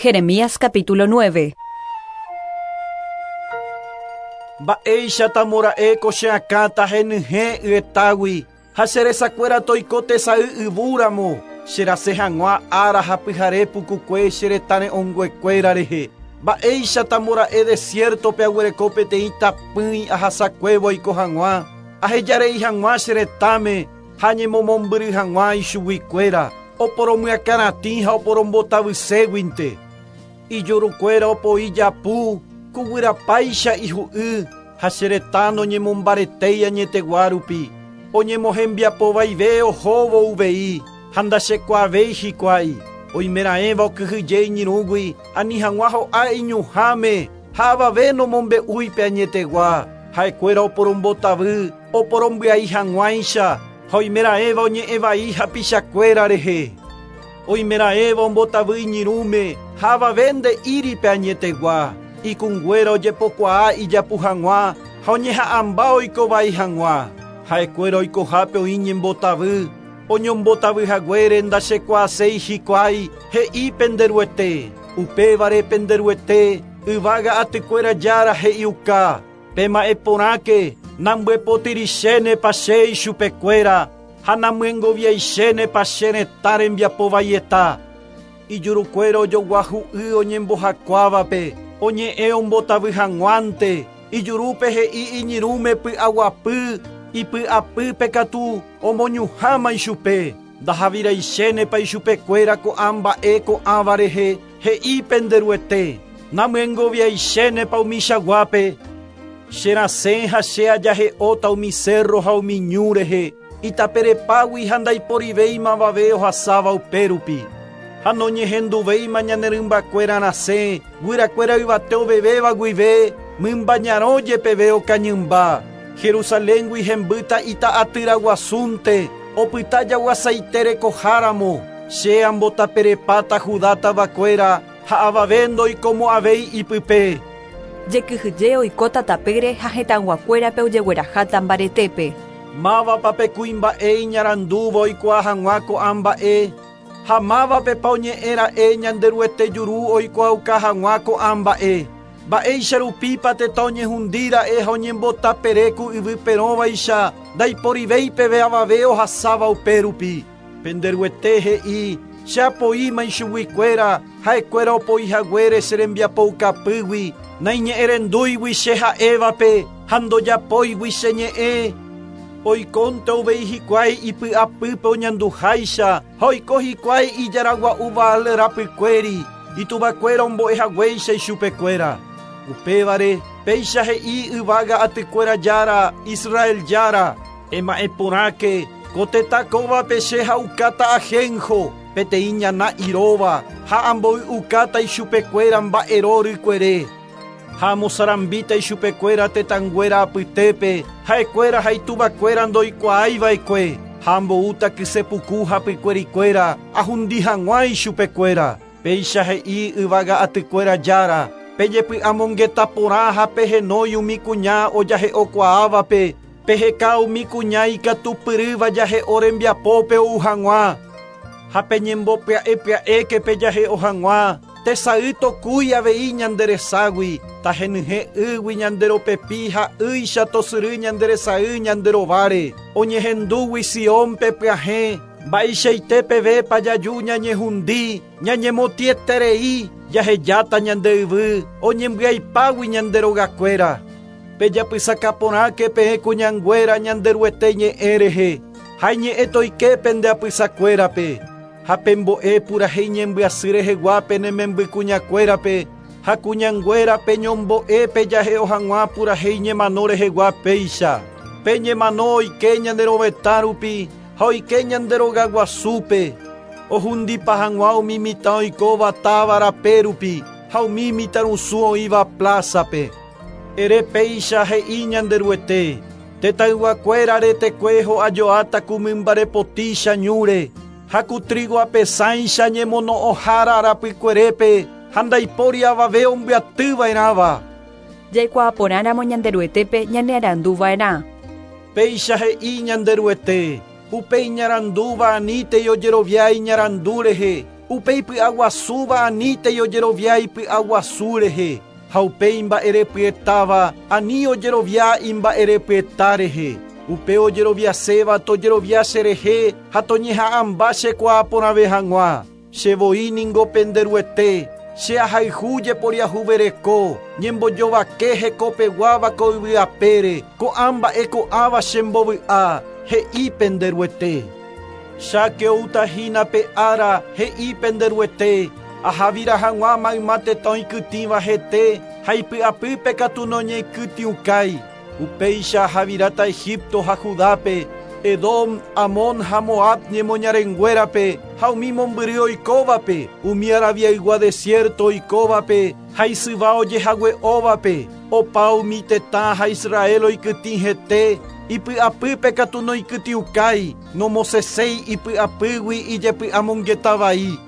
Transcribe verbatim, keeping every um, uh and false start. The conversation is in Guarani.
Jeremías capítulo nueve. Mba'éicha tamora'e ko che akãta henyhẽ yetagui ha che resakuéra toiko tesay yvúramo che rasẽ hag̃ua ára ha pyhare pukukue che retã re'õnguekuéra rehe. Mba'éicha tamora'e desiertope aguereko peteĩ tapỹi ahasakuévo oiko hag̃ua ahejarei hag̃ua che retãme ha ñemomombyry hag̃ua ichuguikuéra oporomyakãratĩ ha oporombotavységuinte. Ijurukuéra opoi japu kuguyrapáicha ihu'y ha che retã noñemombaretéi añetegua rupi oñemohembiapovaive ohóvo uvei ha ndachekuaavéi hikuái oimeraẽva okyhyje iñirũgui ani hag̃ua ho'a iñuhãme ha avave nomombe'úipe añetegua ha'ekuéra oporombotavy oporombyai hag̃uáicha ha oimeraẽva oñe'ẽvai hapichakuéra rehe oimeraẽva ombotavy iñirũme ha avave nde'íripe añetegua ikunguéra ojepokuaa ijapu hag̃ua ha oñeha'ãmba oikovai hag̃ua ha'ekuéra oikohápe oĩ ñembotavy oñombotavyhaguére ndachekuaaséi hikuái he'i penderuete upévare penderuete yvága atykuéra jára he'iuka pema'ẽporãke nambyepotyrichénepa che ichupekuéra ha namyengoviaichénepa che retã rembiapovaieta ijurukuéra ojoguahu'y oñembohakuávape oñe'ẽ ombotavy hag̃uánte ijurúpe he'i iñirũme py'aguapy ipy'apýpe katu omoñuhãma ichupe ndahaviraichénepa ichupekuéra ko'ã mba'e ko'ãva rehe he'i penderuete namyengoviaichénepa umichaguápe che rasẽ ha che ajahe'óta umi cerro ha umi ñu rehe itaperepágui ha ndaiporivéimavave ohasáva upérupi ha noñehenduvéima ñane rymbakuéra rasẽ guyrakuéra yvate ovevéva guive mymba ñarõ jepeve okañymba Jerusaléngui hembýta ita'atyraguasúnte opyta jaguasaite rekoháramo che ambotaperepáta Judá tavakuéra ha avave ndoikomo'ãvéi ipype. Jekyhyje oikóta tapére ha hetãguakuérape ojegueraháta mbaretépe. Mávapa kuimba'e iñarandúva oikuaa hag̃ua ko'ã mba'e ha mávapepa oñe'ẽra'e Ñanderuete juru oikuaauka hag̃ua ko'ã mba'e mba'éicha rupípa tetã oñehundíra'e ha oñembotaperéku yvy perõvaicha ndaiporivéipeve avave ohasáva upérupi. Penderuete he'i che apoíma ichuguikuéra ha'ekuéra opoihaguére che rembiapoukapýgui naiñe'ẽrendúigui che ha'évape ha ndojapóigui che ñe'ẽ oikónte uvei hikuái ipy'apýpe oñanduháicha ha oiko hikuái ijaragua'u Baal rapykuéri ituvakuéra ombo'ehaguéicha ichupekuéra upévare péicha he'i yvága atykuéra jára Israel jára ema'ẽporãke ko tetã kóvape che ha'ukáta ajenjo peteĩ ñana iróva ha amboy'ukáta ichupekuéra mba'ero rykuere ha amosarambíta ichupekuéra tetãnguéra apytépe ha'ekuéra ha ituvakuéra ndoikuaaiva'ekue ha amboúta kysepuku hapykuerikuéra ahundi hag̃ua ichupekuéra péicha he'i yvága atykuéra jára pejepy'amongeta porã ha pehenói umi kuña ojahe'okuaávape peheka umi kuña ikatupyrýva jahe'o rembiapópe ou hag̃ua ha peñembopya'epya'éke pejahe'o hag̃ua tesay tokúi avei ñandereságui tahenyhẽ ýgui ñanderopepi ha ýicha tosyry ñanderesay ñanderováre oñehendúgui Siónpe pyahẽ mba'eichaite pevépa jaju ñañehundi ñañemotĩeterei jahejáta ñande yvy oñembyaipágui ñanderogakuéra pejapysakaporãke peẽ kuñanguéra Ñanderuete ñe'ẽ rehe ha iñe'ẽ toike pende apysakuérape ha pembo'e purahéi ñembyasy rehegua pene membykuñakuérape ha kuñanguéra peñombo'e pejahe'o hag̃ua purahéi ñemano rehegua péicha peñemano oike ñanderovetã rupi ha oike ñanderogaguasúpe ohundipa hag̃ua umi mitã oikóva táva rape rupi ha umi mitãrusu oĩva plázape ere péicha he'i Ñanderuete tetãyguakuéra retekue ho'ajoáta ku mymbarepotícha ñúre ha ku trigo apesãicha ñemono'õhára rapykuerépe ha ndaipóri avave ombyatyva'erãva. Jaikuaaporãramo Ñanderuetépe ñanearanduva'erã. Péicha he'i Ñanderuete upe iñarandúva anítei ojerovia iñarandu rehe Upe ipy'aguasúva anítei ojerovia ipy'aguasu rehe, ha upe imba'erepyetáva ani ojerovia imba'erepyeta rehe. Upe ojeroviaséva tojerovia cherehe ha toñeha'ãmba chekuaa porãve hag̃ua. Che voi ningo pende Ruete, che ahayhu jeporiahuvereko, ñembojovake hekopeguáva ko yvy apére, ko'ã mba'e ko'ãva chembovy'a, he'i pende Ruete. Cháke outahína pe ára, he'i pende Ruete, ahavira hag̃ua mayma tetã oikytĩva hete ha ipy'apýpe katu noñeikytĩukái. Upéicha ahaviráta Egipto ha Judápe, Edom, Amón ha Moab ñemoñarenguérape ha umi mombyry oikóvape, umi Arabiaygua desierto oikóvape ha isyva ojehague'óvape, opa umi tetã ha Israel oikytĩ hete, ipy'apýpe katu noikytĩukái, nomosẽséi ipy'apýgui ijepy'amongetavai.